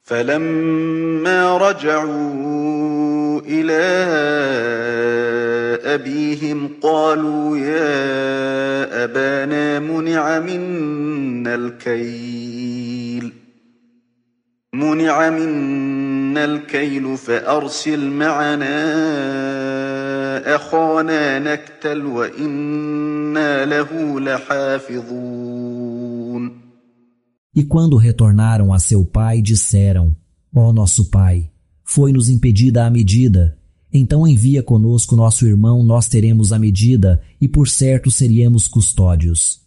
فلما رجعوا إلى أبيهم قالوا يا أبانا منع منا الكيل فأرسل معنا أخانا نكتل وإنا له لحافظون. E quando retornaram a seu pai, disseram: Ó nosso pai, foi-nos impedida a medida. Então envia conosco nosso irmão, nós teremos a medida, e por certo seríamos custódios.